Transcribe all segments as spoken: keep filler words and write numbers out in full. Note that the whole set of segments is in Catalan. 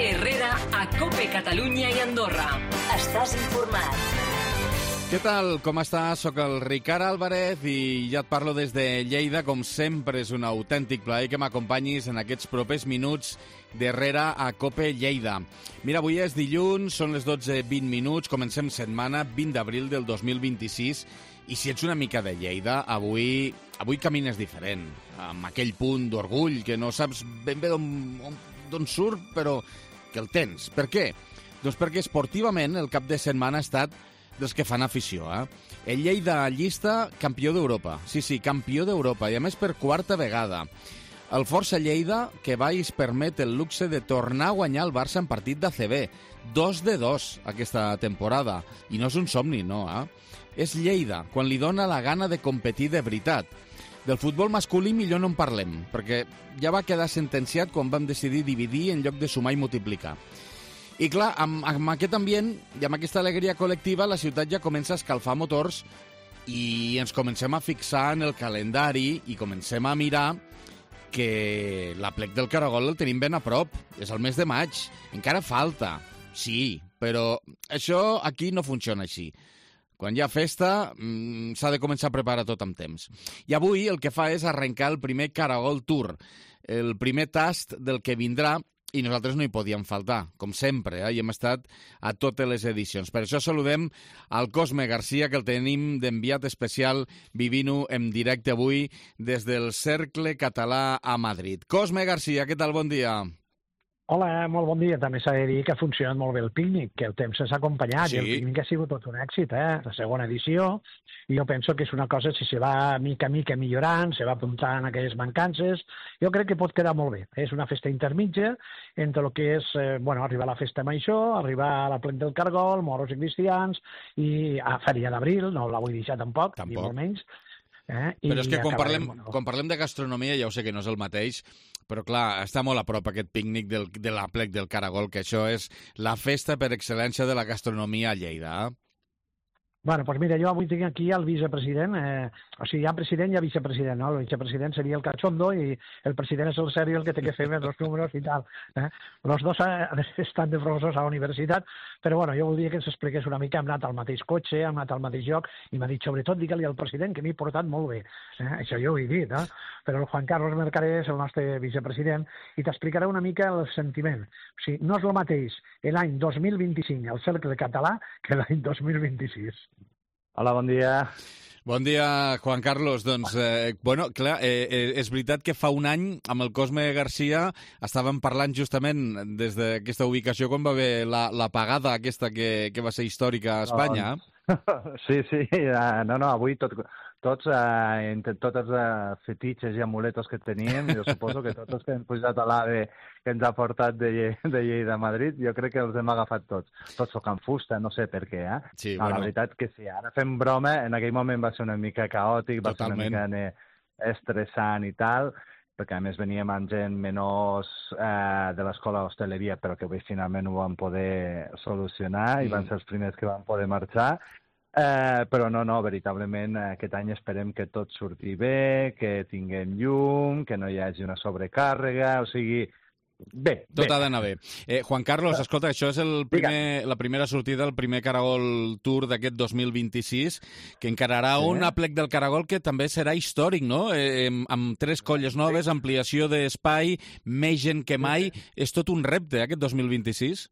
Herrera a COPE Catalunya i Andorra. Estàs informat. Què tal? Com estàs? Soc el Ricard Álvarez i ja et parlo des de Lleida. Com sempre, és un autèntic plaer que m'acompanyis en aquests propers minuts d'Herrera a COPE Lleida. Mira, avui és dilluns, són les dotze vint minuts, comencem setmana, vint d'abril del dos mil vint-i-sis, i si ets una mica de Lleida, avui, avui camines diferent, amb aquell punt d'orgull que no saps ben bé d'on surt, però que el tens. Per què? Doncs perquè esportivament el cap de setmana ha estat dels que fan afició, eh? El Lleida llista campió d'Europa. Sí, sí, campió d'Europa, i a més per quarta vegada. El Força Lleida, que va i es permet el luxe de tornar a guanyar el Barça en partit d'A C B. Dos de dos aquesta temporada. I no és un somni, no, eh? És Lleida, quan li dona la gana de competir de veritat. Del futbol masculí millor no en parlem, perquè ja va quedar sentenciat quan vam decidir dividir en lloc de sumar i multiplicar. I clar, amb, amb aquest ambient i amb aquesta alegria col·lectiva, la ciutat ja comença a escalfar motors i ens comencem a fixar en el calendari i comencem a mirar que l'Aplec del Caragol el tenim ben a prop. És el mes de maig. Encara falta, sí, però això aquí no funciona així. Quan hi ha festa, mmm, s'ha de començar a preparar tot amb temps. I avui el que fa és arrencar el primer Caragol Tour, el primer tast del que vindrà, i nosaltres no hi podíem faltar, com sempre, eh? I hem estat a totes les edicions. Per això saludem al Cosme Garcia, que el tenim d'enviat especial vivint-ho en directe avui des del Cercle Català a Madrid. Cosme Garcia, què tal? Bon dia. Hola, molt bon dia. També s'ha de dir que ha funcionat molt bé el pícnic, que el temps s'ha acompanyat, sí. I el pícnic ha sigut tot un èxit, eh? La segona edició, i jo penso que és una cosa, si se va mica a mica millorant, se va apuntant aquelles mancances, jo crec que pot quedar molt bé. És una festa intermitja entre el que és, eh, bueno, arribar a la festa major, arribar a la Plec del Caragol, moros i cristians, i a Fèria d'Abril, no la vull deixar tampoc, tampoc. Ni molt menys. Eh? Però és que quan parlem, quan parlem de gastronomia, ja ho sé que no és el mateix, però clar, està molt a prop aquest pícnic del, de l'Aplec del Caragol, que això és la festa per excel·lència de la gastronomia a Lleida. Eh? Bueno, doncs mira, jo avui tinc aquí el vicepresident, eh, o sigui, hi ha president i hi ha vicepresident, no? El vicepresident seria el cachondo i el president és el serio, el que té que fer més els números i tal. Eh? Els dos estan de professors a la universitat, però bueno, jo voldria que ens expliqués una mica, hem anat al mateix cotxe, hem anat al mateix lloc, i m'ha dit, sobretot, digue-li al president que m'he portat molt bé. Eh? Això jo ho he dit, eh? Però el Juan Carlos Mercader és el nostre vicepresident i t'explicarà una mica el sentiment. O sigui, no és el mateix l'any dos mil vint-i-cinc al Cercle Català que l'any dos mil vint-i-sis. Hola, bon dia. Bon dia, Juan Carlos. Doncs, eh, bueno, clar, eh, eh, és veritat que fa un any amb el Cosme Garcia estàvem parlant justament des d'aquesta ubicació quan va haver la, la pagada aquesta que, que va ser històrica a Espanya. Doncs, sí, sí, uh, no, no, avui tot, tots, uh, entre tots els uh, fetitxes i amuletos que teníem, jo suposo que tots els que hem pujat a l'AVE que ens ha portat de, de Lleida a Madrid, jo crec que els hem agafat tots. Tots tocant fusta, no sé per què, eh? Sí, no, bueno. La veritat que sí, ara fem broma, en aquell moment va ser una mica caòtic, va Totalment. ser una mica estressant i tal, perquè a més veníem amb gent menors eh, de l'escola d'hostaleria, però que finalment ho vam poder solucionar i mm. van ser els primers que van poder marxar. Eh, però no, no, veritablement aquest any esperem que tot surti bé, que tinguem llum, que no hi hagi una sobrecàrrega, o sigui, bé. Tot bé. ha d'anar bé. Eh, Juan Carlos, escolta, això és el primer, la primera sortida, el primer Caragol Tour d'aquest dos mil vint-i-sis, que encararà sí. un Aplec del Caragol que també serà històric, no? Eh, amb tres colles noves, sí. ampliació d'espai, més gent que mai. Sí. És tot un repte, aquest dos mil vint-i-sis?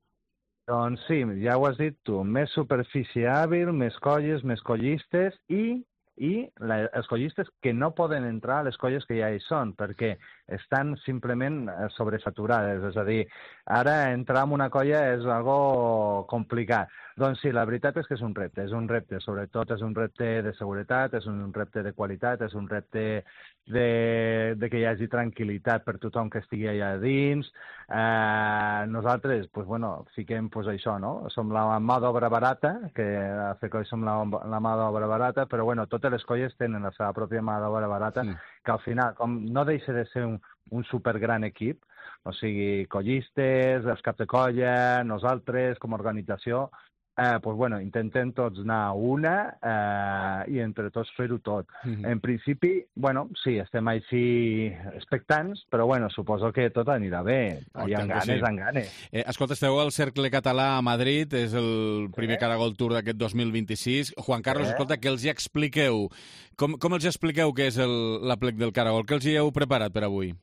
Doncs sí, ja ho has dit tu, més superfície hàbil, més colles, més collistes i, i la, els collistes que no poden entrar a les colles que ja hi són, perquè estan simplement sobresaturades. És a dir, ara entrar en una colla és algo complicat. Doncs sí, la veritat és que és un repte. És un repte, sobretot és un repte de seguretat, és un repte de qualitat, és un repte de, de que hi hagi tranquil·litat per tothom que estigui allà dins. Eh, nosaltres, pues, bueno, fiquem pues, això, no? Som la mà d'obra barata, que a FECOI som la, la mà d'obra barata, però bueno, totes les colles tenen la seva pròpia mà d'obra barata, sí. que al final, com no deixa de ser un, un supergran equip, o sigui, collistes, els caps de colla, nosaltres, com a organització, eh, pues, bueno, intentem tots anar a una eh, i entre tots fer-ho tot. Mm-hmm. En principi, bueno, sí, estem així expectants, però bueno, suposo que tot anirà bé. Oh, I amb ganes, sí. amb ganes. Eh, escolta, esteu al Cercle Català a Madrid, és el primer eh? Caragol Tour d'aquest dos mil vint-i-sis. Juan Carlos, eh? escolta, què els hi expliqueu? Com, com els expliqueu què és el, l'aplec del Caragol? Què els hi heu preparat per avui?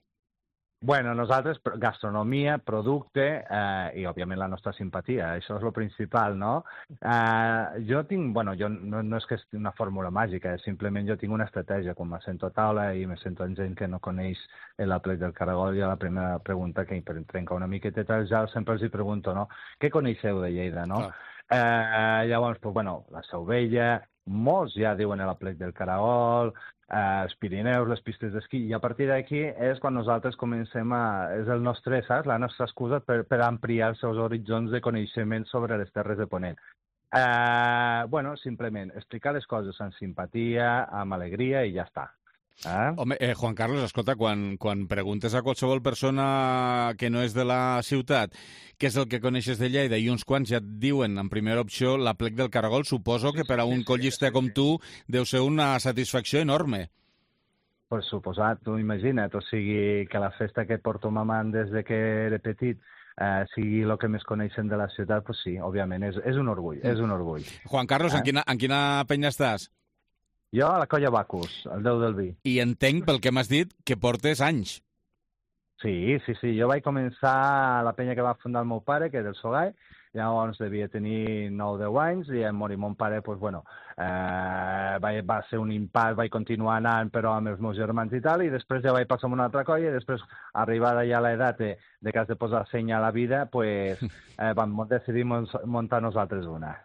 Bueno, nosaltres, gastronomia, producte eh, i, òbviament, la nostra simpatia. Això és el principal, no? Eh, jo tinc, bueno, jo no, no és que sigui una fórmula màgica, és simplement jo tinc una estratègia. Quan me sento a taula i me sento amb gent que no coneix l'aplec del Caragol, jo la primera pregunta que per trencar una miqueta el gel sempre els hi pregunto, no? Què coneixeu de Lleida, no? Eh, llavors, pues, bueno, la Seu Vella, molts ja diuen l'aplec del Caragol, eh, els Pirineus, les pistes d'esquí, i a partir d'aquí és quan nosaltres comencem a... és el nostre, saps? La nostra excusa per, per ampliar els seus horitzons de coneixement sobre les Terres de Ponent. Eh, bueno, simplement, explicar les coses amb simpatia, amb alegria i ja està. Eh? Home, eh, Juan Carlos, escolta, quan, quan preguntes a qualsevol persona que no és de la ciutat què és el que coneixes de Lleida i uns quants ja et diuen en primera opció l'aplec del Caragol, suposo que per a un collista com tu deu ser una satisfacció enorme. Per suposat, tu imagina't, o sigui, que la festa que porto mamant des de que era petit eh, sigui el que més coneixen de la ciutat, doncs sí, òbviament, és, és un orgull, és un orgull. Juan Carlos, eh? en, quina, en quina penya estàs? Jo a la Colla Bacus, el déu del vi. I entenc, pel que m'has dit, que portes anys. Sí, sí, sí. Jo vaig començar a la penya que va fundar el meu pare, que és el Solai, llavors devia tenir nou o deu anys, i en morir mon pare, doncs, bueno, eh, va, va ser un impàs, vaig continuar anant, però amb els meus germans i tal, i després ja vaig passar a una altra colla, i després, arribada ja a l'edat de, de que has de posar senya a la vida, pues, eh, vam decidir muntar nosaltres una.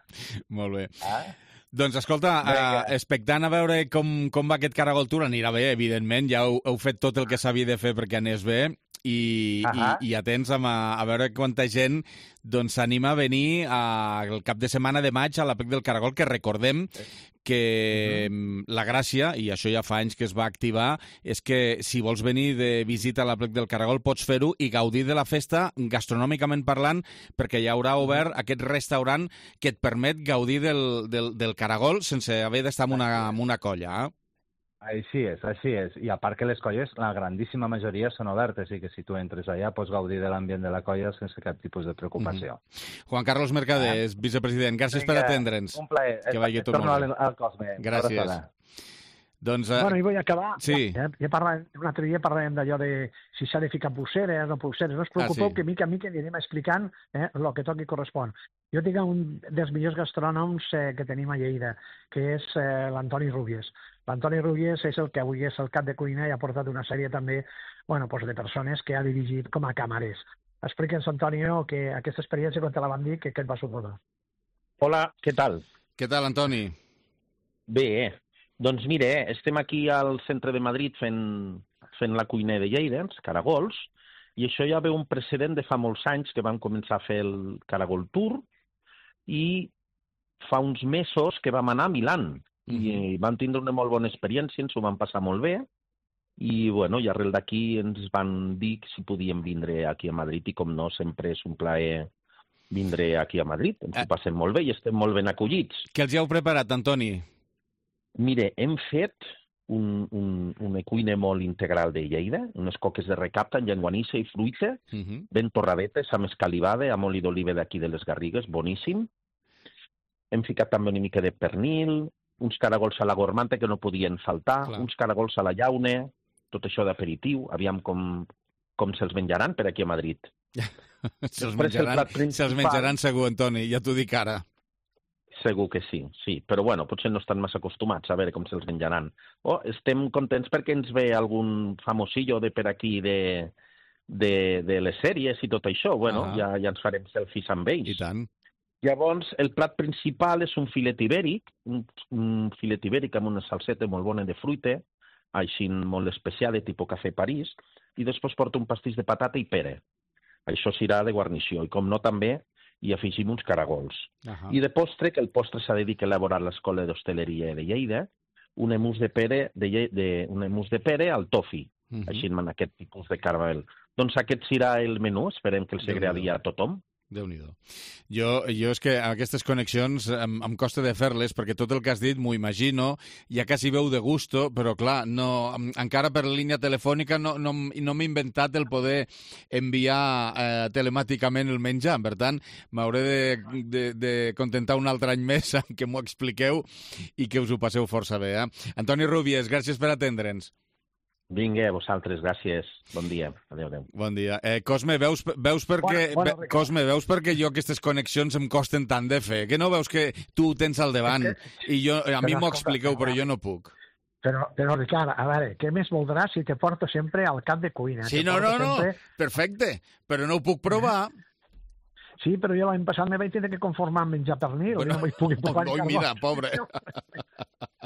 Molt bé. Eh? Doncs escolta, uh, expectant a veure com, com va aquest Caragol Tour, anirà bé, evidentment, ja heu, heu fet tot el que s'havia de fer perquè anés bé, i, uh -huh. i, i atents a, a veure quanta gent s'anima doncs, a venir a, el cap de setmana de maig a l'aplec del Caragol, que recordem que uh -huh. la gràcia, i això ja fa anys que es va activar, és que si vols venir de visita a l'aplec del Caragol pots fer-ho i gaudir de la festa gastronòmicament parlant, perquè hi haurà obert aquest restaurant que et permet gaudir del, del, del Caragol sense haver d'estar en una, en una colla, eh? Així és, així és. I a part que les colles, la grandíssima majoria són obertes, i que si tu entres allà pots gaudir de l'ambient de la colla sense cap tipus de preocupació. Mm-hmm. Juan Carlos Mercader, ah. vicepresident, gràcies Vinga, per atendre'ns. Un plaer. Que vagi tot Torno molt bé. al Cosme. Gràcies. Doncs, uh... Bueno, i vull acabar. Sí. Ja, ja parlàvem, un altre dia parlàvem d'allò de si s'ha de ficar pulseres o no pulseres. No us preocupeu ah, sí. que mica a mica anirem explicant eh, el que toqui correspon. Jo tinc un dels millors gastrònoms eh, que tenim a Lleida, que és eh, l'Antoni Rubies. L'Antoni Rubies és el que avui és el cap de cuina i ha portat una sèrie també bueno, pues de persones que ha dirigit com a camarers. Explica'ns, Antonio, que aquesta experiència, quan te la van dir, que, que et va suposar. Hola, què tal? Què tal, Antoni? Bé, doncs mire, estem aquí al centre de Madrid fent, fent la cuina de Lleida, els caragols, i això ja ve un precedent de fa molts anys que vam començar a fer el Caragol Tour, i fa uns mesos que vam anar a Milán, i vam tindre una molt bona experiència, ens ho vam passar molt bé, i bueno, i arrel d'aquí ens van dir si podíem vindre aquí a Madrid, i com no, sempre és un plaer vindre aquí a Madrid, ens ho passem molt bé i estem molt ben acollits. Què els hi heu preparat, Antoni? Mire, hem fet un, un, una cuina molt integral de Lleida, unes coques de recapta amb llenguanissa i fruita, uh -huh. ben torradetes, amb escalivada, amb oli d'oliva d'aquí de les Garrigues, boníssim. Hem ficat també una mica de pernil, uns caragols a la gormanta que no podien faltar, Clar. uns caragols a la llauna, tot això d'aperitiu, aviam com, com se'ls menjaran per aquí a Madrid. se'ls menjaran, se menjaran segur, Antoni, ja t'ho dic ara. Segur que sí, sí, però bueno, potser no estan massa acostumats a veure com se'ls menjaran. Oh, estem contents perquè ens ve algun famosillo de per aquí de, de, de les sèries i tot això, bueno, ah. ja, ja ens farem selfies amb ells. I tant. Llavors, el plat principal és un filet ibèric, un, un filet ibèric amb una salseta molt bona de fruita, així molt especial, de tipus cafè París, i després porta un pastís de patata i pera. Això serà de guarnició, i com no també hi afegim uns caragols. Uh -huh. I de postre, que el postre s'ha de dir que ha elaborat l'Escola d'Hostaleria de Lleida, un emús de pere, de, de, un emús de pere al tofi, uh -huh. així en aquest tipus de caramel. Doncs aquest serà el menú, esperem que els agradi a tothom. Déu-n'hi-do. Jo, jo és que aquestes connexions em, em costa de fer-les perquè tot el que has dit m'ho imagino, ja quasi veu de gusto, però clar, no, encara per línia telefònica no, no, no m'he inventat el poder enviar eh, telemàticament el menjar. Per tant, m'hauré de, de, de contentar un altre any més en què m'ho expliqueu i que us ho passeu força bé. Eh? Antoni Rubies, gràcies per atendre'ns. Vinga, vosaltres, gràcies. Bon dia. Adéu, adéu. Bon dia. Eh, Cosme, veus, veus, perquè, bueno, bueno, ve, Cosme, veus perquè jo aquestes connexions em costen tant de fer? Que no veus que tu ho tens al davant es que, i jo, a mi m'ho escolta, expliqueu, però jo no puc? Però, però, Ricard, a veure, què més voldràs si te porto sempre al cap de cuina? Sí, te no, no, no, sempre... perfecte, però no ho puc provar. Sí, però jo l'any passat me vaig tenir que conformar amb menjar pernil. Bueno, no vaig poder provar oi, mira, pobre.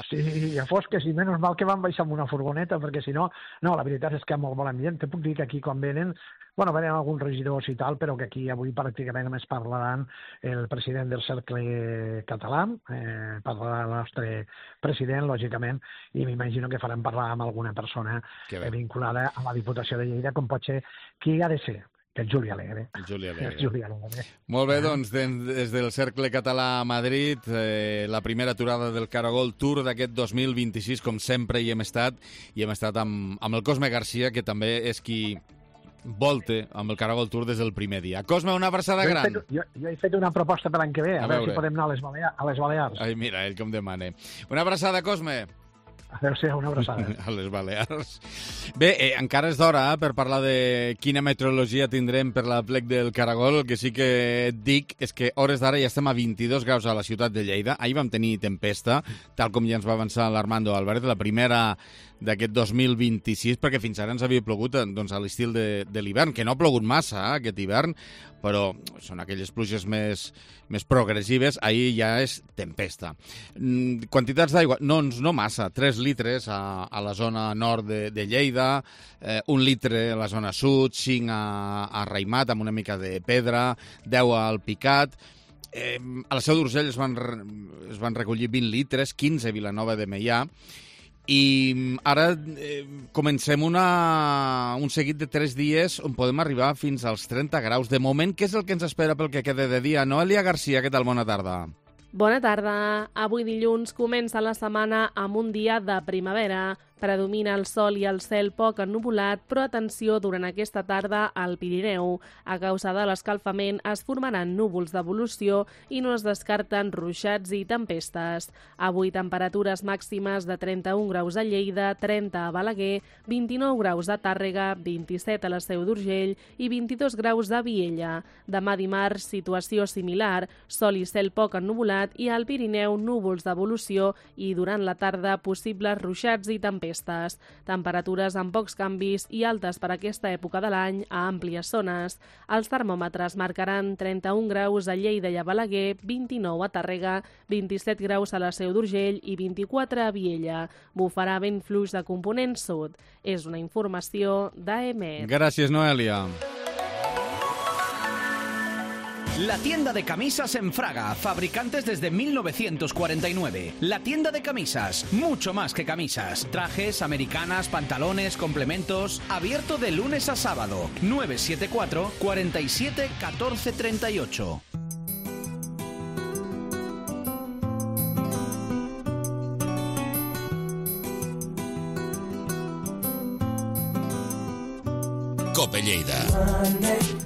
Sí, ja fos que sí, menys mal que van baixar amb una furgoneta, perquè si no, no, la veritat és que hi ha molt bon ambient. Te puc dir que aquí quan venen, bueno, venen alguns regidors i tal, però que aquí avui pràcticament només parlaran el president del Cercle Català, eh, parlarà el nostre president, lògicament, i m'imagino que faran parlar amb alguna persona vinculada a la Diputació de Lleida, com pot ser qui ha de ser. Que és Juli Alegre. Juli Alegre. Juli Alegre. Molt bé, doncs, des del Cercle Català a Madrid, eh, la primera aturada del Caragol Tour d'aquest dos mil vint-i-sis, com sempre hi hem estat, i hem estat amb, amb el Cosme Garcia, que també és qui volte amb el Caragol Tour des del primer dia. Cosme, una abraçada jo gran. Fet, jo, jo he fet una proposta per l'any que ve, a, a veure si podem anar a les, Balea a les Balears. Ai, mira, ell com demana. Una abraçada, Cosme. Adéu-siau, una abraçada. A les Balears. Bé, eh, encara és d'hora eh, per parlar de quina meteorologia tindrem per la plec del Caragol. El que sí que et dic és que hores d'ara ja estem a vint-i-dos graus a la ciutat de Lleida. Ahir vam tenir tempesta, tal com ja ens va avançar l'Armando Álvarez, la primera d'aquest dos mil vint-i-sis, perquè fins ara ens havia plogut doncs, a l'estil de, de l'hivern, que no ha plogut massa eh, aquest hivern, però són aquelles pluges més, més progressives. Ahir ja és tempesta. Mm, quantitats d'aigua? No, no massa, tres litres a, a la zona nord de, de Lleida, eh, un litre a la zona sud, cinc a, a Raimat, amb una mica de pedra, deu al Picat. Eh, a la Seu d'Urgell es, van, es van recollir vint litres, quinze a Vilanova de Meià, i ara eh, comencem una, un seguit de tres dies on podem arribar fins als trenta graus. De moment, què és el que ens espera pel que quede de dia? Noelia Garcia, què tal? Bona tarda. Bona tarda. Avui dilluns comença la setmana amb un dia de primavera. Predomina el sol i el cel poc ennuvolat, però atenció durant aquesta tarda al Pirineu. A causa de l'escalfament es formaran núvols d'evolució i no es descarten ruixats i tempestes. Avui temperatures màximes de trenta-un graus a Lleida, trenta a Balaguer, vint-i-nou graus a Tàrrega, vint-i-set a la Seu d'Urgell i vint-i-dos graus a Viella. Demà dimarts, situació similar, sol i cel poc ennuvolat i al Pirineu núvols d'evolució i durant la tarda possibles ruixats i tempestes. Temperatures amb pocs canvis i altes per aquesta època de l'any a àmplies zones. Els termòmetres marcaran trenta-un graus a Lleida i a Balaguer, vint-i-nou a Tàrrega, vint-i-set graus a la Seu d'Urgell i vint-i-quatre a Viella. Bufarà vent fluix de component sud. És una informació d'A M E. Gràcies, Noelia. La tienda de camisas en Fraga, fabricantes desde mil novecientos cuarenta y nueve. La tienda de camisas, mucho más que camisas. Trajes, americanas, pantalones, complementos. Abierto de lunes a sábado. nueve siete cuatro, cuatro siete, uno cuatro tres ocho. Cope Lleida.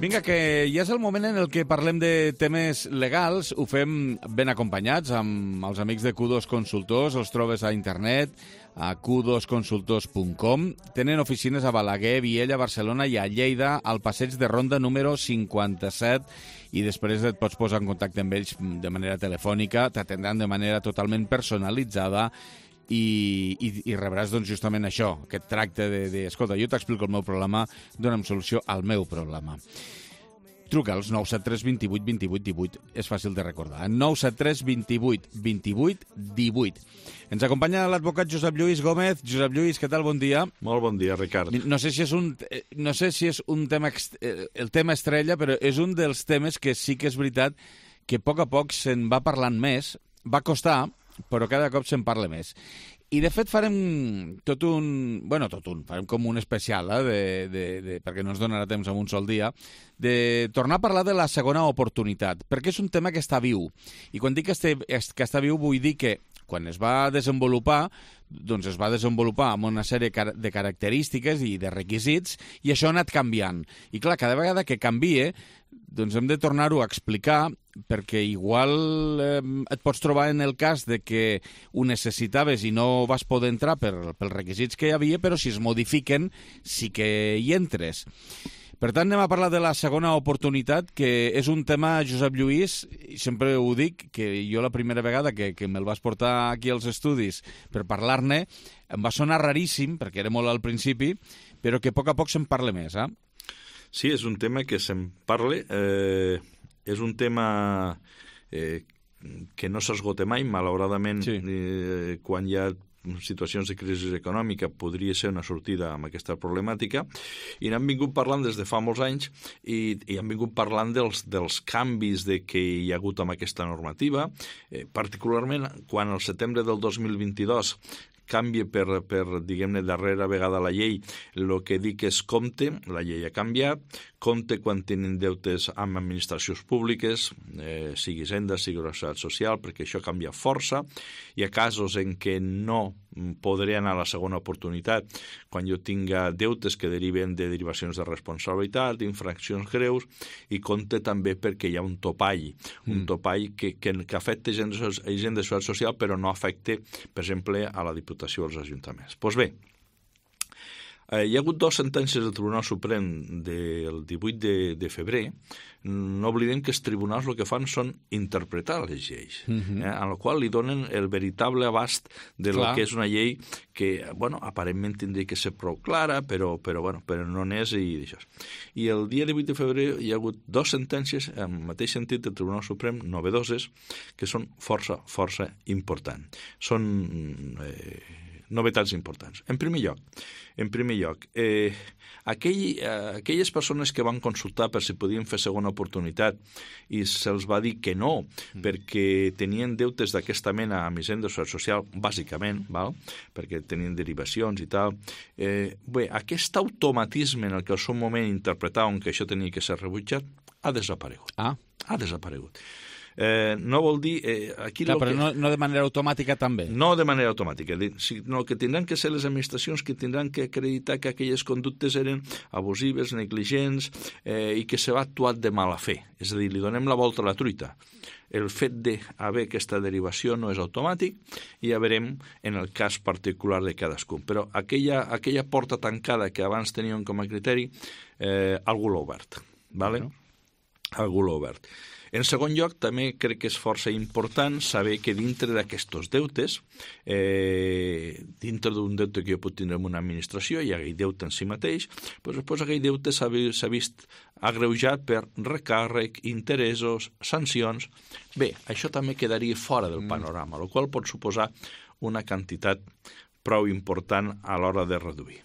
Vinga, que ja és el moment en el que parlem de temes legals. Ho fem ben acompanyats amb els amics de Q dos Consultors. Els trobes a internet, a q dos consultors punt com. Tenen oficines a Balaguer, Viella, Barcelona i a Lleida, al passeig de Ronda número cinquanta-set, i després et pots posar en contacte amb ells de manera telefònica, t'atendran de manera totalment personalitzada i, i, i rebràs doncs, justament això, aquest tracte de, de escolta, jo t'explico el meu problema, dona'm solució al meu problema. Truca als nou set tres, vint vuit, vint vuit, divuit. És fàcil de recordar. nou set tres, vint vuit, vint vuit, divuit. Ens acompanya l'advocat Josep Lluís Gómez. Josep Lluís, què tal? Bon dia. Molt bon dia, Ricard. No sé si és un, no sé si és un tema, el tema estrella, però és un dels temes que sí que és veritat que a poc a poc se'n va parlant més. Va costar, però cada cop se'n parla més. I, de fet, farem tot un... bueno, tot un, farem com un especial, eh, de, de, de, perquè no ens donarà temps en un sol dia, de tornar a parlar de la segona oportunitat, perquè és un tema que està viu. I quan dic que, este, que està viu vull dir que quan es va desenvolupar, doncs es va desenvolupar amb una sèrie de característiques i de requisits, i això ha anat canviant. I clar, cada vegada que canvie, doncs hem de tornar-ho a explicar, perquè igual eh, et pots trobar en el cas de que ho necessitaves i no vas poder entrar per, pels requisits que hi havia, però si es modifiquen sí que hi entres. Per tant, anem a parlar de la segona oportunitat, que és un tema, Josep Lluís, i sempre ho dic, que jo la primera vegada que, que me'l vas portar aquí als estudis per parlar-ne, em va sonar raríssim, perquè era molt al principi, però que a poc a poc se'n parla més, eh? Sí, és un tema que se'n parla, eh, és un tema eh, que no s'esgota mai, malauradament, sí. eh, quan hi ha situacions de crisi econòmica podria ser una sortida amb aquesta problemàtica, i n'hem vingut parlant des de fa molts anys i, i hem vingut parlant dels, dels canvis de que hi ha hagut amb aquesta normativa, eh, particularment quan al setembre del dos mil vint-i-dos canvia per, per diguem-ne, darrera vegada la llei, el que dic és compte, la llei ha canviat, compte quan tenen deutes amb administracions públiques, eh, sigui Hisenda, sigui Seguretat Social, perquè això canvia força. Hi ha casos en què no podré anar a la segona oportunitat quan jo tinga deutes que deriven de derivacions de responsabilitat, d'infraccions greus, i compte també perquè hi ha un topall, mm. un topall que, que, que afecta gent de, gent de Seguretat Social però no afecta, per exemple, a la Diputació o als ajuntaments. Doncs pues bé, Eh, hi ha hagut dues sentències del Tribunal Suprem del divuit de febrer. No oblidem que els tribunals el que fan són interpretar les lleis, uh-huh. eh, en la qual li donen el veritable abast de lo que és una llei que, bueno, aparentment tindria que ser prou clara, però, però, bueno, però no n'és i això. I el dia divuit de febrer hi ha hagut dues sentències, en el mateix sentit del Tribunal Suprem, novedoses, que són força, força importants. Són eh, novetats importants. En primer lloc, en primer lloc, eh, aquell, eh, aquelles persones que van consultar per si podien fer segona oportunitat i se'ls va dir que no, mm. perquè tenien deutes d'aquesta mena amb Hisenda Social, bàsicament, val? Perquè tenien derivacions i tal. Eh, bé, aquest automatisme en el que al seu moment interpretaven que això tenia que ser rebutjat ha desaparegut. Ah. Ha desaparegut. Eh, no vol dir... Eh, aquí Clar, però que... no, no de manera automàtica també. No de manera automàtica, sinó que tindran que ser les administracions que tindran que acreditar que aquelles conductes eren abusives, negligents eh, i que s'ha actuat de mala fe. És a dir, li donem la volta a la truita. El fet d'haver aquesta derivació no és automàtic i ja veurem en el cas particular de cadascun. Però aquella, aquella porta tancada que abans teníem com a criteri, eh, algú l'ha obert. ¿Vale? No. Algú l'ha obert. En segon lloc, també crec que és força important saber que dintre d'aquests deutes, eh, dintre d'un deute que jo puc tindre en una administració, hi ha aquell deute en si mateix, doncs després aquell deute s'ha vist agreujat per recàrrec, interessos, sancions. Bé, això també quedaria fora del panorama, el qual pot suposar una quantitat prou important a l'hora de reduir.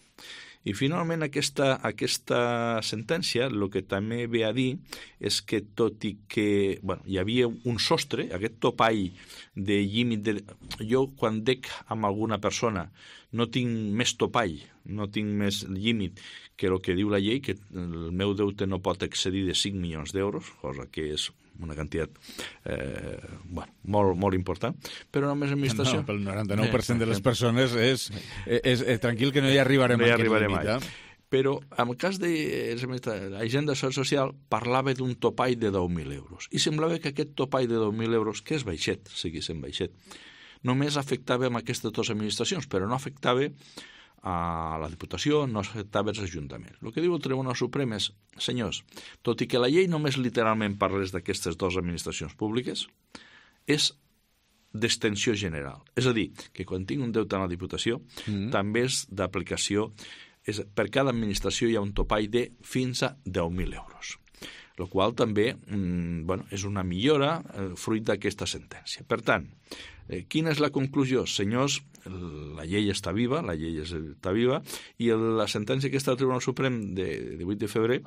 I finalment aquesta, aquesta sentència el que també ve a dir és que tot i que bueno, hi havia un sostre, aquest topall de límit... De... Jo quan dec amb alguna persona no tinc més topall, no tinc més límit que el que diu la llei, que el meu deute no pot excedir de cinc milions d'euros, cosa que és una quantitat eh, bueno, molt, molt important, però només l'administració... No, pel noranta-nou per cent de les persones és, és, és, és tranquil que no hi arribarem no hi a aquest arribarem límit. Eh? Però en el cas de l'Hisenda Social parlava d'un topall de deu mil euros i semblava que aquest topall de deu mil euros, que és baixet, sigui sent baixet, només afectava amb aquestes dues administracions, però no afectava a la Diputació, no afectava els ajuntaments. El que diu el Tribunal Suprem és, senyors, tot i que la llei només literalment parles d'aquestes dues administracions públiques, és d'extensió general. És a dir, que quan tinc un deute a la Diputació, mm. també és d'aplicació, és, per cada administració hi ha un topall de fins a deu mil euros. El qual també mm, bueno, és una millora eh, fruit d'aquesta sentència. Per tant, eh, quina és la conclusió? Senyors, la llei està viva, la llei està viva, i el, la sentència que està al Tribunal Suprem de divuit de febrer,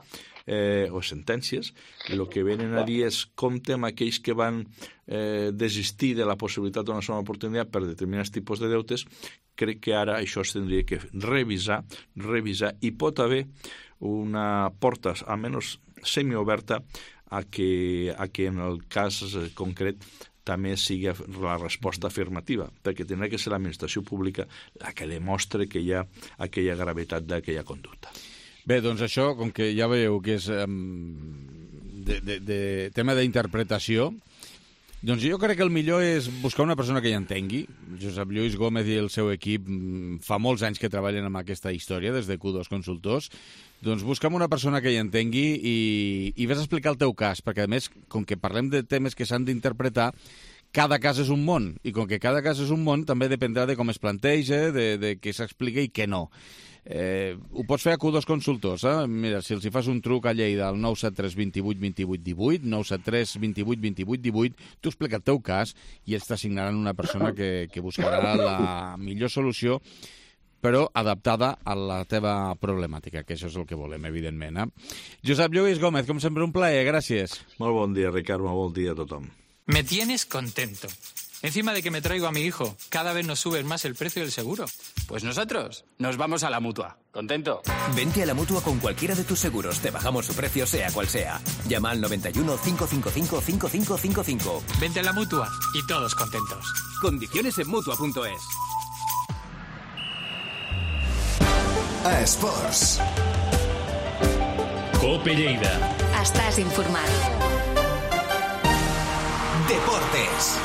eh, o sentències, el que venen a dir és compte amb aquells que van eh, desistir de la possibilitat d'una segona oportunitat per determinats tipus de deutes, crec que ara això es tindria que revisar, revisar, i pot haver una porta, almenys semioberta, a que, a que en el cas concret també sigui la resposta afirmativa, perquè tindrà que ser l'administració pública la que demostre que hi ha aquella gravetat d'aquella conducta. Bé, doncs això, com que ja veieu que és um, de, de, de tema d'interpretació, doncs jo crec que el millor és buscar una persona que hi entengui. Josep Lluís Gómez i el seu equip fa molts anys que treballen amb aquesta història, des de Q dos Consultors. Doncs busca'm una persona que hi entengui i, i vés a explicar el teu cas, perquè a més, com que parlem de temes que s'han d'interpretar, cada cas és un món, i com que cada cas és un món, també dependrà de com es planteja, de, de què s'explica i què no. Eh, ho pots fer a Q dos Consultors, eh? Mira, si els hi fas un truc a Lleida al nou set tres dos vuit dos vuit un vuit, nou set tres dos vuit dos vuit un vuit, tu explica el teu cas i ells t'assignaran una persona que, que buscarà la millor solució, però adaptada a la teva problemàtica, que això és el que volem, evidentment. Eh? Josep Lluís Gómez, com sempre, un plaer, gràcies. Molt bon dia, Ricard, molt bon dia a tothom. Me tienes contento. Encima de que me traigo a mi hijo, cada vez nos subes más el precio del seguro. Pues nosotros nos vamos a la Mutua. ¿Contento? Vente a la Mutua con cualquiera de tus seguros. Te bajamos su precio sea cual sea. Llama al noventa y uno, cinco cinco cinco, cinco cinco cinco cinco. Vente a la Mutua y todos contentos. Condiciones en Mutua punto es. A Esports. Cope Lleida. Estàs informat. Deportes.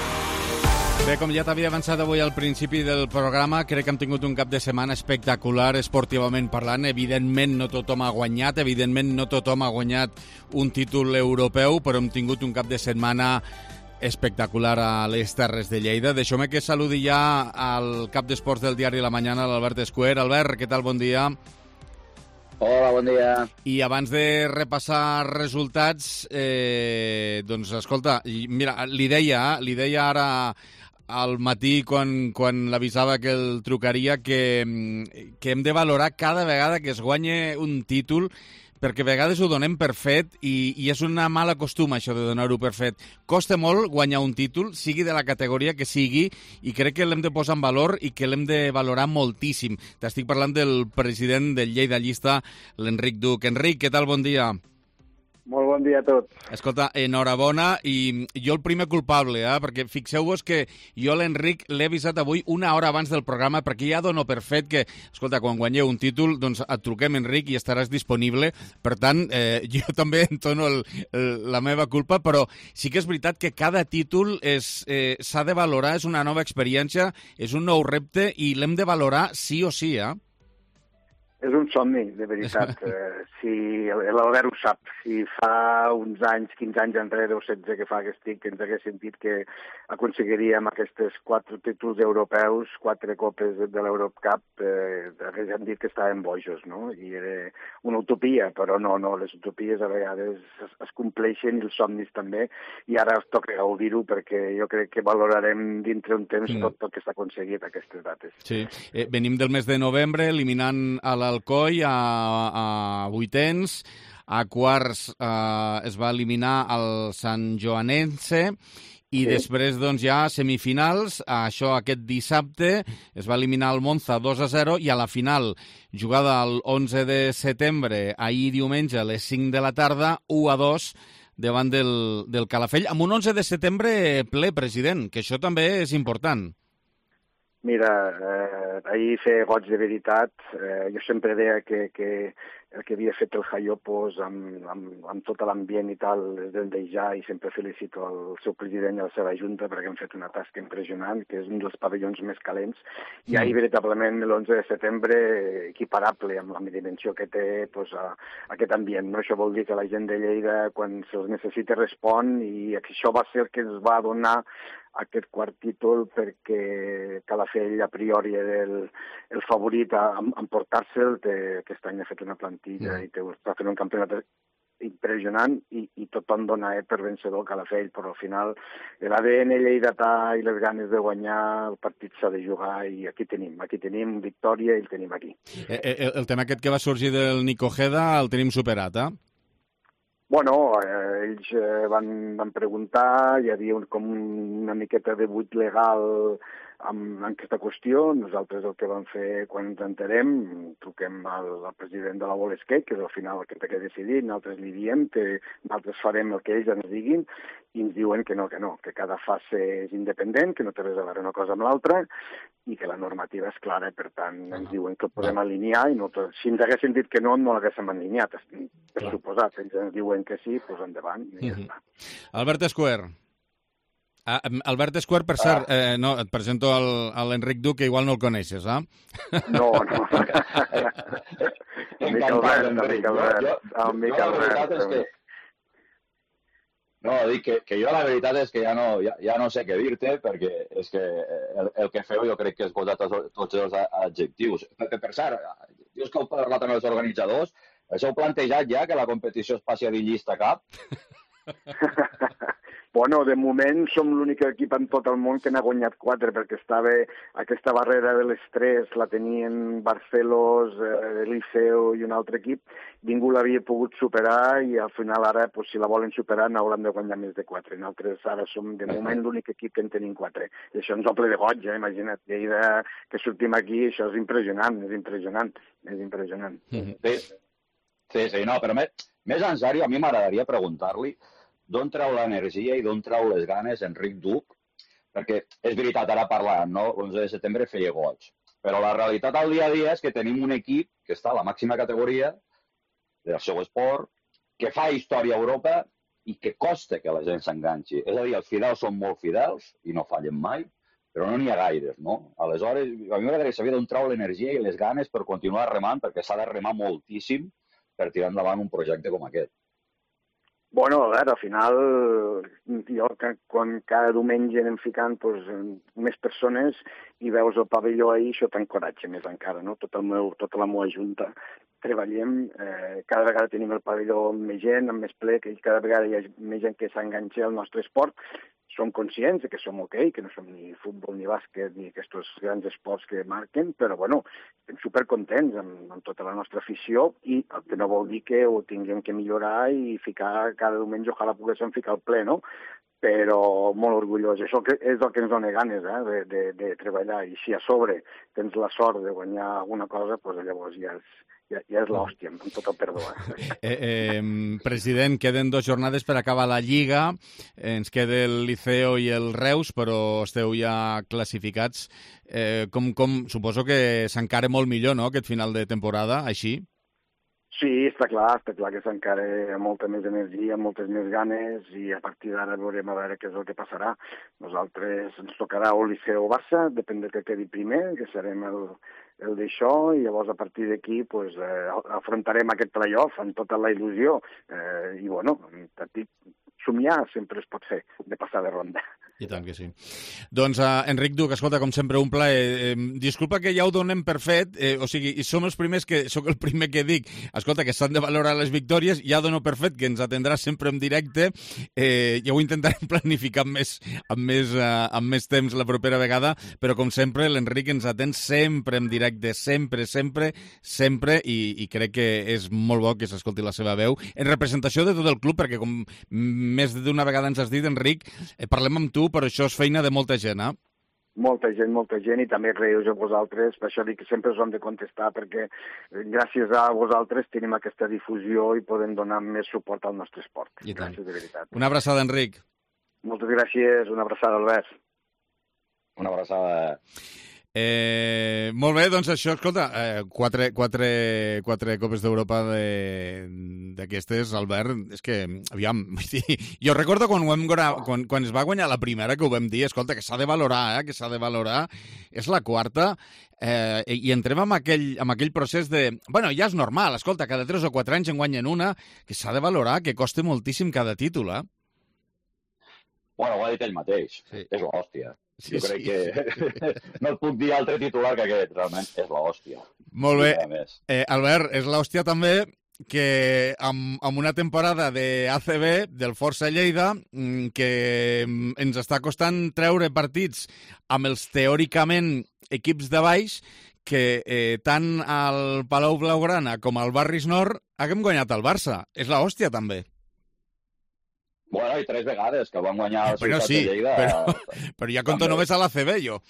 Bé, com ja t'havia avançat avui al principi del programa, crec que hem tingut un cap de setmana espectacular esportivament parlant. Evidentment no tothom ha guanyat, evidentment no tothom ha guanyat un títol europeu, però hem tingut un cap de setmana espectacular a les Terres de Lleida. Deixeu-me que saludi ja al cap d'esports del diari La Mañana, l'Albert Escuer. Albert, què tal? Bon dia. Hola, bon dia. I abans de repassar resultats, eh, doncs, escolta, mira, li deia, li deia ara al matí quan, quan l'avisava que el trucaria que, que hem de valorar cada vegada que es guanye un títol, perquè a vegades ho donem per fet i, i és una mala costum això de donar-ho per fet. Costa molt guanyar un títol, sigui de la categoria que sigui, i crec que l'hem de posar en valor i que l'hem de valorar moltíssim. T'estic parlant del president del Lleida Llista, l'Enric Duc. Enric, què tal? Bon dia. Molt bon dia a tots. Escolta, enhorabona, i jo el primer culpable, eh? Perquè fixeu-vos que jo l'Enric l'he avisat avui una hora abans del programa, perquè ja dono per fet que, escolta, quan guanyeu un títol, doncs et truquem, Enric, i estaràs disponible. Per tant, eh, jo també entono el, el, la meva culpa, però sí que és veritat que cada títol és, eh, s'ha de valorar, és una nova experiència, és un nou repte, i l'hem de valorar sí o sí, eh? És un somni, de veritat. eh, si l'Albert ho sap. Si fa uns anys, quinze anys enrere o setze que fa que estic, que ens hagués sentit que aconseguiríem aquests quatre títols europeus, quatre copes de l'Eurocup, eh, haguéssim dit que estàvem bojos, no? I era una utopia, però no, no, les utopies a vegades es, es compleixen i els somnis també, i ara es toca gaudir-ho perquè jo crec que valorarem dintre un temps sí. tot el que s'ha aconseguit a aquestes dates. Sí, eh, venim del mes de novembre eliminant a l'Alcoi a, a vuitens, a quarts eh, es va eliminar el Sant Joanense i sí. després doncs ja semifinals, això aquest dissabte es va eliminar el Monza dos a zero i a la final, jugada el onze de setembre, ahir diumenge a les cinc de la tarda, u a dos davant del, del Calafell, amb un onze de setembre ple, president, que això també és important. Mira, eh, ahir fer goig de veritat. Eh, jo sempre deia que, que el que havia fet el Jaiopos amb, amb, amb tot l'ambient i tal és d'endejar, i sempre felicito el seu president i la seva junta perquè han fet una tasca impressionant, que és un dels pavellons més calents. I ahir, veritablement, l'onze de setembre, equiparable amb la dimensió que té pues, a, aquest ambient. No? Això vol dir que la gent de Lleida, quan se'ls necessita, respon, i això va ser el que ens va donar aquest quart títol, perquè Calafell a priori era el, el favorit a, a emportar-se'l. Aquest any ha fet una plantilla mm. i té, està fent un campionat impressionant i, i tothom dona eh, per vencedor Calafell, però al final l'A D N lleidatà i les ganes de guanyar el partit s'ha de jugar, i aquí tenim, aquí tenim victòria i el tenim aquí. El, el tema aquest que va sorgir del Nico Ojeda el tenim superat, eh? Bueno, eh, ells eh, van, van preguntar, hi havia un, com una miqueta de buit legal amb aquesta qüestió. Nosaltres el que vam fer quan ens enterem, truquem al, al president de la Volesquet, que és al final el que té que decidir, nosaltres li diem que nosaltres farem el que ells ens diguin, i ens diuen que no, que no, que cada fase és independent, que no té res a veure una cosa amb l'altra, i que la normativa és clara, per tant, ens diuen que el podem alinear, i no tot. Si ens haguessin dit que no, no l'haguéssim alineat, per suposat. Ells ens diuen que sí, doncs endavant, i ja està. Albert Escuer. Ah, Albert Escuer, per cert, eh, no, et presento a l'Enric Duc, que igual no el coneixes, eh? No, no. Amic Albert, amic Albert, amic Albert. No, dic que, que jo la veritat és que ja no, ja, ja no sé què dir-te, perquè és que el, el que feu jo crec que és posar tots, tots els adjectius. Per, per cert, dius que heu parlat amb els organitzadors, us heu plantejat ja que la competició es passi a dir llista cap? Bueno, de moment som l'únic equip en tot el món que n'ha guanyat quatre, perquè estava aquesta barrera de l'estrès, la tenien Barcelos, eh, Liceo i un altre equip, ningú l'havia pogut superar i al final ara, pues, si la volen superar, n'hauran de guanyar més de quatre. Nosaltres ara som de moment l'únic equip que en tenim quatre. I això ens omple de goig, eh? Imagina't, Lleida, que sortim aquí, això és impressionant, és impressionant, és impressionant. Sí, sí, sí no, però més, més en sèrio, a mi m'agradaria preguntar-li d'on treu l'energia i d'on treu les ganes Enric Duc, perquè és veritat, ara parlant, no? l'onze de setembre feia goig, però la realitat al dia a dia és que tenim un equip que està a la màxima categoria del seu esport, que fa història a Europa i que costa que la gent s'enganxi. És a dir, els fidels són molt fidels i no fallen mai, però no n'hi ha gaires, no? Aleshores, a mi m'agradaria saber d'on treu l'energia i les ganes per continuar remant, perquè s'ha de remar moltíssim per tirar endavant un projecte com aquest. Bueno, a veure, al final, jo quan cada diumenge anem ficant pues, més persones i veus el pavelló ahir, això t'encoratge més encara, no? Tot el meu, tota la meva junta treballem, eh, cada vegada tenim el pavelló amb més gent, amb més ple, que cada vegada hi ha més gent que s'enganxa al nostre esport. Som conscients que som ok, que no som ni futbol ni bàsquet ni aquests grans esports que marquen, però bueno, estem supercontents amb, amb tota la nostra afició i el que no vol dir que ho tinguem que millorar i ficar cada diumenge, ojalà poguéssim ficar al ple, no? Però molt orgullós. Això és el que ens dona ganes, eh, de, de, de treballar. I si a sobre tens la sort de guanyar alguna cosa, doncs llavors ja és, ja, ja és l'hòstia, amb tot el perdó. Eh? Eh, eh, president, queden dues jornades per acabar la Lliga. Ens queda el Liceo i el Reus, però esteu ja classificats. Eh, com, com, suposo que s'encara molt millor, no?, aquest final de temporada, així? Sí, està clar, està clar que s'encara amb molta més energia, moltes més ganes i a partir d'ara veurem a veure què és el que passarà. Nosaltres ens tocarà o Liceo o Barça, depèn de que quedi primer, que serem el, el d'això, i llavors a partir d'aquí pues, eh, afrontarem aquest playoff amb tota la il·lusió. Eh, I bueno, somiar sempre es pot fer, de passar de ronda. I tant que sí. Doncs, uh, Enric Duc, escolta, com sempre, un plaer. Eh, disculpa que ja ho donem per fet, eh, o sigui, i som els primers que, soc el primer que dic, escolta, que s'han de valorar les victòries, ja dono per fet que ens atendrà sempre en directe, eh, ja ho intentarem planificar amb més, amb, més, uh, amb més temps la propera vegada, però com sempre, l'Enric ens atén sempre en directe, sempre, sempre, sempre, i, i crec que és molt bo que s'escolti la seva veu, en representació de tot el club, perquè com més d'una vegada ens has dit, Enric, eh, parlem amb tu, però això és feina de molta gent, eh? Molta gent, molta gent, i també agraïu a vosaltres, per això dic que sempre us hem de contestar, perquè gràcies a vosaltres tenim aquesta difusió i podem donar més suport al nostre esport. I tant. Gràcies, de veritat. Una abraçada, Enric. Moltes gràcies, una abraçada, Albert. Una abraçada. Eh, molt bé, doncs això, escolta, eh, quatre, quatre, quatre Copes d'Europa d'aquestes, Albert, és que, aviam, jo recordo quan, ho hem, quan, quan es va guanyar la primera, que ho vam dir, escolta, que s'ha de valorar, eh, que s'ha de valorar, és la quarta, eh, i entrem amb aquell, amb aquell procés de, bueno, ja és normal, escolta, cada tres o quatre anys en guanyen una, que s'ha de valorar, que costa moltíssim cada títol, eh? Bueno, ho ha dit ell mateix, sí. És l'hòstia. Sí, jo crec sí. que no et puc dir altre titular que aquest, realment és l'hòstia. Molt bé. Eh, Albert, és l'hòstia també que amb, amb una temporada de A C B, del Força Lleida, que ens està costant treure partits amb els teòricament equips de baix, que eh, tant al Palau Blaugrana com al Barris Nord haguem guanyat el Barça. És l'hòstia també. Bueno, i tres vegades que van guanyar la però ciutat sí, de Lleida. Però, però ja conto només a l'A C B, jo.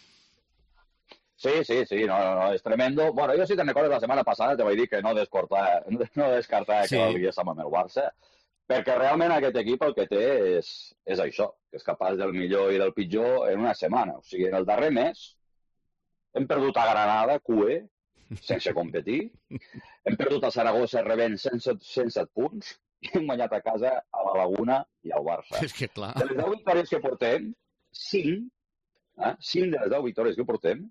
Sí, sí, sí, no, no, no, és tremendo. Bueno, jo si te'n recordes la setmana passada te vaig dir que no descartar, no descartar sí. que l'hagués amb el Barça, perquè realment aquest equip el que té és, és això, que és capaç del millor i del pitjor en una setmana. O sigui, en el darrer mes hem perdut a Granada, Q E, sense competir, hem perdut a Saragossa rebent cent set punts i hem guanyat a casa a la Laguna i al Barça. És que clar. De les deu victòries que portem, cinc, eh, cinc de les deu victòries que portem,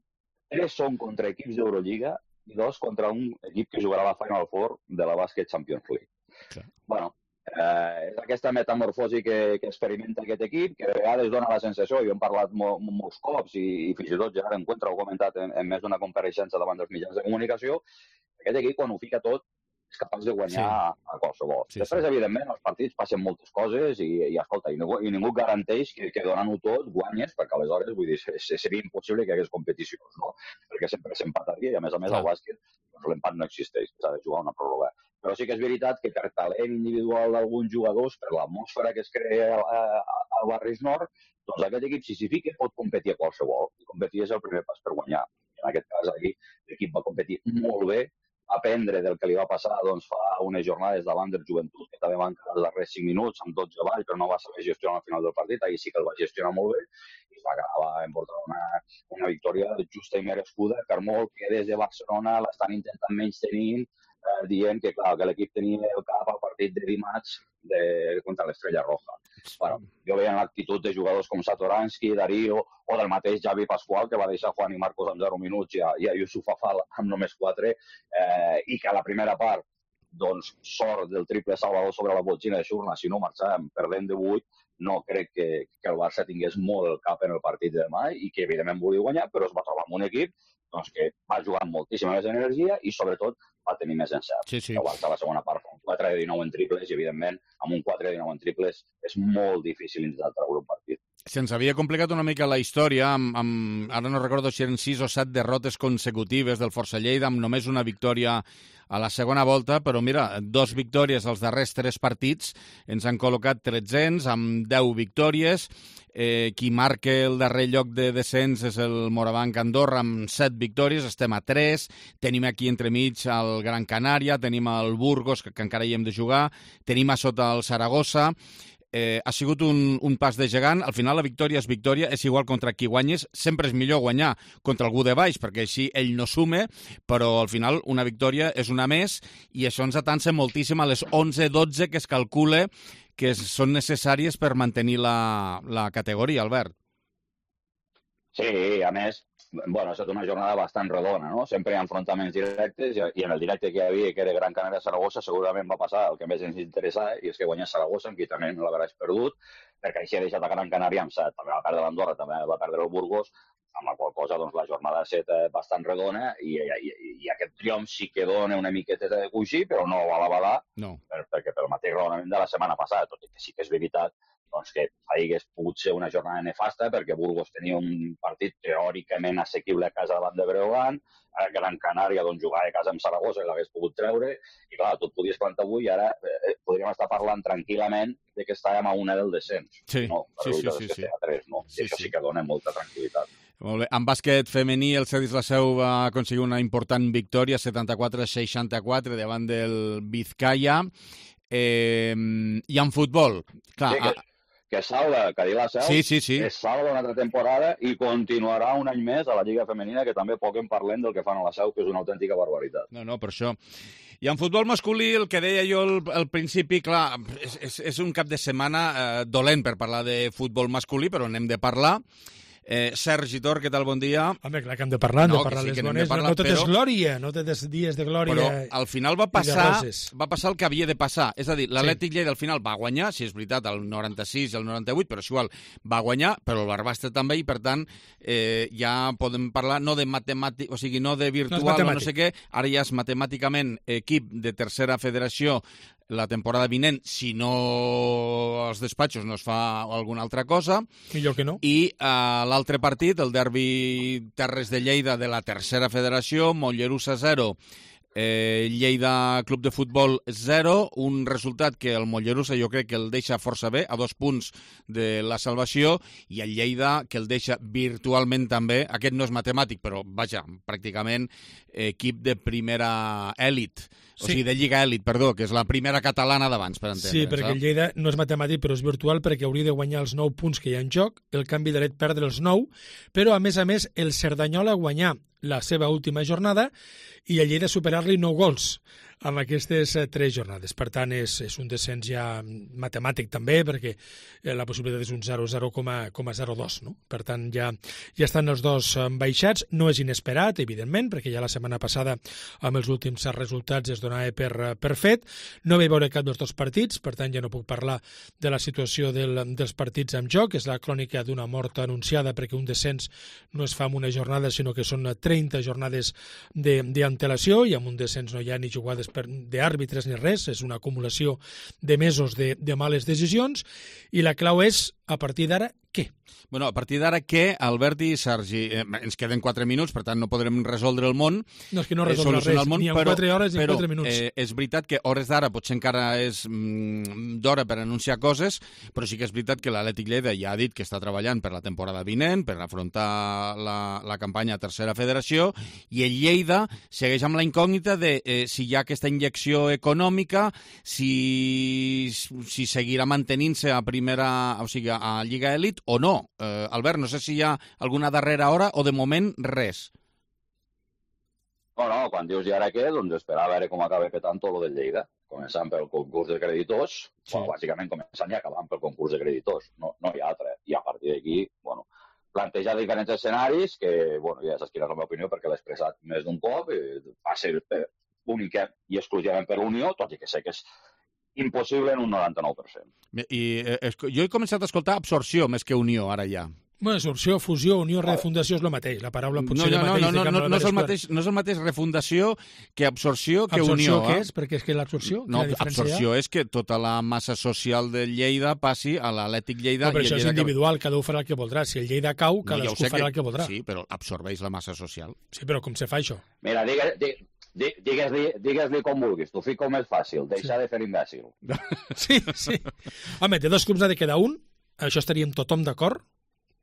tres són contra equips d'Eurolliga i dos contra un equip que jugarà a la Final Four de la Basket Champions League. Clar. Bueno, Eh, és aquesta metamorfosi que, que experimenta aquest equip, que de vegades dona la sensació, i hem parlat mo, molts cops, i, i fins i tot ja l'encuentro, ho he comentat en, en més d'una compareixença davant dels mitjans de comunicació, aquest equip, quan ho fica tot, és capaç de guanyar sí. a qualsevol. Sí, Després, sí. evidentment, els partits passen moltes coses i, i escolta, i ningú, i ningú garanteix que, que donant-ho tot guanyes, perquè aleshores, vull dir, seria impossible que hi hagués competicions, no? Perquè sempre s'empataria i, a més a més, al bàsquet doncs, l'empat no existeix, s'ha de jugar una pròrroga. Però sí que és veritat que per talent individual d'alguns jugadors, per l'atmosfera que es crea al Barris Nord, doncs aquest equip, si s'hi fica, pot competir a qualsevol. I competir és el primer pas per guanyar. En aquest cas, ahir, l'equip va competir molt bé, aprendre del que li va passar doncs, fa unes jornades davant del Joventut, que també van quedar els darrers cinc minuts amb dotze avall, però no va saber gestionar al final del partit. Ahir sí que el va gestionar molt bé i va acabar emportant una, una victòria justa i merescuda, per molt que des de Barcelona l'estan intentant menys tenint, eh, dient que, clar, que l'equip tenia el cap al partit de dimarts de, contra l'Estrella Roja. Bueno, jo veia l'actitud de jugadors com Satoransky, Darío, o del mateix Javi Pascual, que va deixar Juan i Marcos amb zero minuts i a, i a Yusuf Afal amb només quatre, eh, i que a la primera part, doncs, sort del triple Salvador sobre la botxina de Xurna, si no marxàvem perdent de vuit, no crec que, que el Barça tingués molt el cap en el partit de demà i que, evidentment, volia guanyar, però es va trobar amb un equip doncs, que va jugar amb moltíssima més energia i, sobretot, va tenir més encert. Sí, sí. El Barça a la segona part fa un quatre de dinou en triples i, evidentment, amb un quatre de dinou en triples és molt difícil intentar treure un partit. Se'ns havia complicat una mica la història, amb, amb, ara no recordo si eren sis o set derrotes consecutives del Força Lleida, amb només una victòria a la segona volta, però mira, dos victòries als darrers tres partits, ens han col·locat tretzens amb deu victòries, eh, qui marca el darrer lloc de descens és el Morabanc Andorra amb set victòries, estem a tres, tenim aquí entremig el Gran Canària, tenim el Burgos, que, que encara hi hem de jugar, tenim a sota el Saragossa. Eh, ha sigut un, un pas de gegant. Al final la victòria és victòria, és igual contra qui guanyes, sempre és millor guanyar contra algú de baix, perquè així ell no sume, però al final una victòria és una més i això ens atansa moltíssim a les onze dotze que es calcula que són necessàries per mantenir la, la categoria, Albert. Sí, a més, bueno, ha estat una jornada bastant redona, no? Sempre hi ha enfrontaments directes i, i en el directe que hi havia, que era Gran Canària-Saragossa, segurament va passar el que més ens interessava, i és que guanyés Saragossa, amb qui també no l'hauràs perdut, perquè així ha deixat a Gran Canària amb set. També va perdre l'Andorra, també va perdre el Burgos, amb la qual cosa doncs, la jornada ha estat bastant redona i, i, i aquest triomf sí que dona una miqueta de coixí, però no val a balar, no. per, perquè pel mateix raonament de la setmana passada, tot i que sí que és veritat doncs que hagués pogut ser una jornada nefasta perquè Burgos tenia un partit teòricament assequible a casa davant de Breogán, a Gran Canària doncs, jugava a casa amb Saragossa i l'hagués pogut treure, i clar, tu et podies plantar avui i ara eh, podríem estar parlant tranquil·lament de que estàvem a una del descens. Sí, no, sí, sí, sí, sí. A tres, no? Sí, I això sí. sí que dona molta tranquil·litat. Molt bé. En bàsquet femení, el Cedis la Seu va aconseguir una important victòria, setanta-quatre a seixanta-quatre, davant del Vizcaya. Eh, I en futbol, clar... Sí, que... que salva, que dir la Seu, sí, sí, sí. que salva una altra temporada i continuarà un any més a la Lliga Femenina, que també poc en parlem del que fan a la Seu, que és una autèntica barbaritat. No, no, per això. I en futbol masculí, el que deia jo al, al principi, clar, és, és, és un cap de setmana eh, dolent per parlar de futbol masculí, però n'hem de parlar. Eh, Sergi Tor, què tal? Bon dia. Home, clar que hem de parlar, hem no, de parlar sí, les de bones. parlar, no tot però... és glòria, no tot és dies de glòria. Però al final va passar, va passar el que havia de passar. És a dir, l'Atlètic sí. Lleida al final va guanyar, si és veritat, el noranta-sis i el noranta-vuit, però és igual, va guanyar, però el Barbastre també, i per tant eh, ja podem parlar no de matemàtic, o sigui, no de virtual no o no sé què, ara ja és matemàticament equip de tercera federació la temporada vinent, si no els despatxos no es fa alguna altra cosa. Millor que no. I uh, l'altre partit, el derbi Terres de Lleida de la tercera federació, Mollerussa zero, Eh, Lleida Club de Futbol zero, un resultat que el Mollerussa jo crec que el deixa força bé, a dos punts de la salvació, i el Lleida que el deixa virtualment també, aquest no és matemàtic, però vaja, pràcticament equip de primera èlit, o Sí. sigui, de Lliga Èlit, perdó, que és la primera catalana d'abans, per entendre. Sí, perquè el Lleida no és matemàtic, però és virtual, perquè hauria de guanyar els nou punts que hi ha en joc, el canvi de l'Et perdre els nou, però, a més a més, el Cerdanyola guanyar la seva última jornada i el Lleida superar-li nou gols amb aquestes eh, tres jornades. Per tant, és, és un descens ja matemàtic també, perquè eh, la possibilitat és un zero coma zero dos, no? Per tant, ja, ja estan els dos eh, baixats. No és inesperat, evidentment, perquè ja la setmana passada, amb els últims resultats, es donava per, per fet. No vaig veure cap dels dos partits, per tant, ja no puc parlar de la situació del, dels partits en joc. És la crònica d'una mort anunciada, perquè un descens no es fa en una jornada, sinó que són trenta jornades d'antelació, i amb un descens no hi ha ni jugades d'àrbitres ni res, és una acumulació de mesos de, de males decisions, i la clau és, a partir d'ara, què? Bueno, a partir d'ara què, Albert i Sergi, eh, ens queden quatre minuts, per tant no podrem resoldre el món. No, és que no resoldre res, món, ni en però, quatre hores ni en però, quatre minuts. Eh, és veritat que hores d'ara potser encara és mm, d'hora per anunciar coses, però sí que és veritat que l'Atlètic Lleida ja ha dit que està treballant per la temporada vinent, per afrontar la, la campanya a Tercera Federació, i el Lleida segueix amb la incògnita de eh, si hi ha aquesta injecció econòmica, si, si seguirà mantenint-se a primera, o sigui, a Lliga Èlit o no. Eh, Albert, no sé si hi ha alguna darrera hora o de moment res. No, no, quan dius i ara què, doncs esperar a veure com acaba petant tot lo del Lleida, començant pel concurs de creditors, sí. Bueno, bàsicament començant i acabant pel concurs de creditors, no, no hi ha altre. I a partir d'aquí, bueno, plantejar diferents escenaris que, bueno, ja saps quina és la meva opinió perquè l'he expressat més d'un cop, va ser única i exclusivament per Unió, tot i que sé que és impossible en un noranta-nou per cent. I eh, jo he començat a escoltar absorció més que unió, ara ja. Bueno, absorció, fusió, unió, refundació és el mateix. La paraula pot no, ser no, el mateix. No, no, no, no, no, és el mateix, no és el mateix refundació que absorció que absorció unió. Absorció què eh? és? Perquè és que l'absorció... No, absorció és que tota la massa social del Lleida passi a l'Atlètic Lleida... No, però i això el és Lleida individual, cada un farà el que voldrà. Si el Lleida cau, cadascú no, ja farà que... el que voldrà. Sí, però absorbeix la massa social. Sí, però com se fa això? Mira, digue, digue, Digues-li digues com vulguis, t'ho fico més fàcil, deixar sí. de fer imbècil. Sí, sí. Home, de dos clubs ha de quedar un, això estaríem tothom d'acord.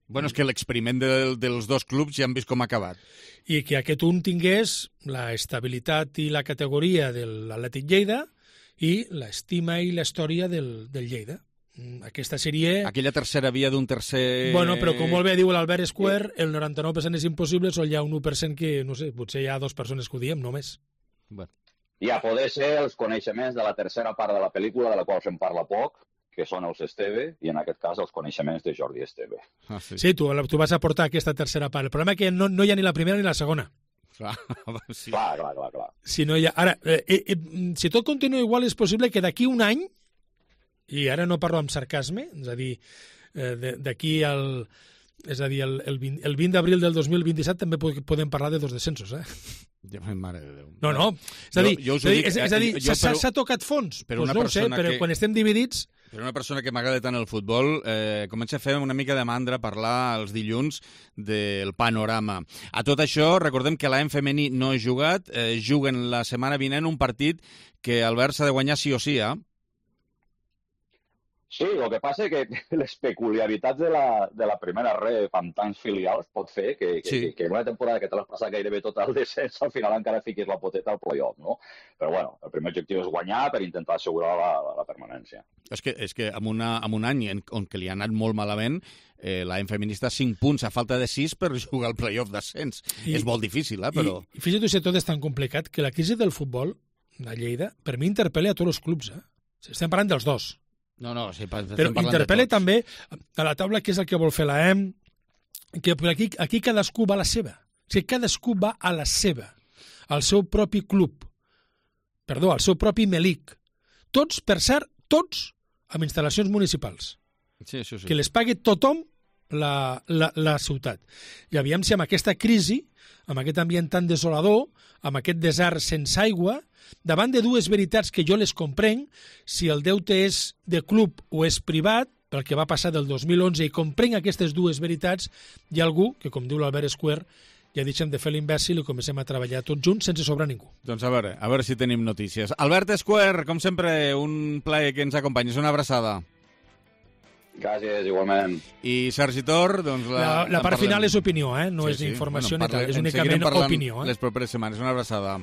Bueno, és que l'experiment de, dels dos clubs ja han vist com ha acabat. I que aquest un tingués la estabilitat i la categoria de l'Atlètic Lleida i l'estima i la història del, del Lleida. Aquesta seria... Aquella tercera via d'un tercer... Bueno, però com molt bé diu l'Albert Square, el noranta-nou per cent és impossible, sol hi ha un u per cent que, no sé, potser hi ha dues persones que ho diem, només. Bueno. I a poder ser els coneixements de la tercera part de la pel·lícula, de la qual se'n parla poc, que són els Esteve, i en aquest cas els coneixements de Jordi Esteve. Ah, sí, sí tu, tu vas aportar aquesta tercera part. El problema és que no, no hi ha ni la primera ni la segona. Clar, sí. clar, clar, clar, clar. Si no hi ha... Ara, eh, eh, si tot continua igual, és possible que d'aquí un any, i ara no parlo amb sarcasme, és a dir, eh, d'aquí al... És a dir, el, el vint, el vint d'abril del dos mil vint-i-set també podem parlar de dos descensos, eh? Ja, mare de Déu. No, no. És a dir, jo, jo dic, és, és a dir s'ha tocat fons? Per pues una no ho sé, però que, quan estem dividits... Per una persona que m'agrada tant el futbol, eh, comença a fer una mica de mandra parlar els dilluns del panorama. A tot això, recordem que l'A M femení no ha jugat, eh, juguen la setmana vinent un partit que Albert s'ha de guanyar sí o sí, eh? Sí, el que passa és que les peculiaritats de la, de la primera ref amb tants filials pot fer que, que, sí. que, que en una temporada que te l'has passat gairebé tot el descens, al final encara fiquis la poteta al play-off, no? Però bueno, el primer objectiu és guanyar per intentar assegurar la, la, la permanència. És que, és que en, una, en un any en, on que li ha anat molt malament, eh, l'A M feminista cinc punts a falta de sis per jugar al play-off d'ascens. És molt difícil, eh, però... I, i fixa't si tot és tan complicat que la crisi del futbol a Lleida, per mi interpel·la a tots els clubs, eh? Estem parlant dels dos. No, no, sí, però interpel·la també a la taula què és el que vol fer l'A E M, que aquí, aquí cadascú va a la seva. O sigui, cadascú va a la seva, al seu propi club, perdó, al seu propi Melic. Tots, per cert, tots amb instal·lacions municipals. Sí, això sí. Que les pagui tothom la, la, la ciutat. I aviam si amb aquesta crisi, amb aquest ambient tan desolador, amb aquest desert sense aigua, davant de dues veritats que jo les comprenc, si el deute és de club o és privat, pel que va passar del dos mil onze, i comprenc aquestes dues veritats, hi ha algú, que com diu l'Albert Square, ja deixem de fer l'imbècil i comencem a treballar tots junts sense sobrar ningú. Doncs a veure, a veure si tenim notícies. Albert Esquer, com sempre, un plaer que ens acompanyis, una abraçada. Gràcies, igualment. I Sergi Tor, doncs... La, la, la part final és opinió, eh? No sí, és informació bueno, ni tal, és únicament opinió. Eh? Les properes setmanes, una abraçada.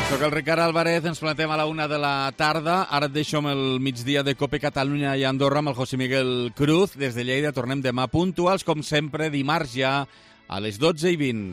Soc el Ricard Álvarez, ens plantem a la una de la tarda. Ara et deixo amb el migdia de Cope Catalunya i Andorra amb el José Miguel Cruz. Des de Lleida tornem demà puntuals, com sempre, dimarts ja a les dotze i vint.